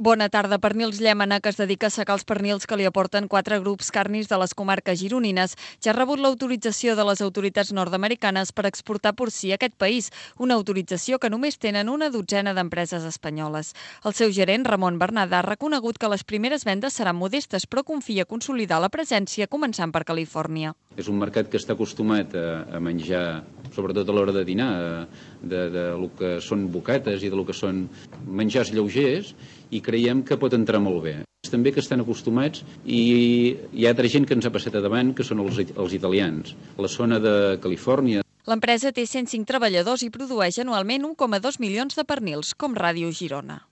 Bona tarda. Pernils Llémena, que es dedica a assecar els pernils que li aporten 4 grups carnis de les comarques gironines, ja ha rebut l'autorització de les autoritats nord-americanes per exportar porcí a aquest país, una autorització que només tenen una dotzena d'empreses espanyoles. El seu gerent, Ramon Bernada, ha reconegut que les primeres vendes seran modestes, però confia consolidar la presència, començant per Califòrnia. És un mercat que està acostumat a menjar, sobretot a l'hora de dinar, de lo que són bocates i de lo que són menjars lleugers, i creiem que pot entrar molt bé. També que estan acostumats i hi ha altra gent que ens ha passat a davant, que són els italians. La zona de Califòrnia. L'empresa té 105 treballadors i produeix anualment 1,2 milions de pernils, com Ràdio Girona.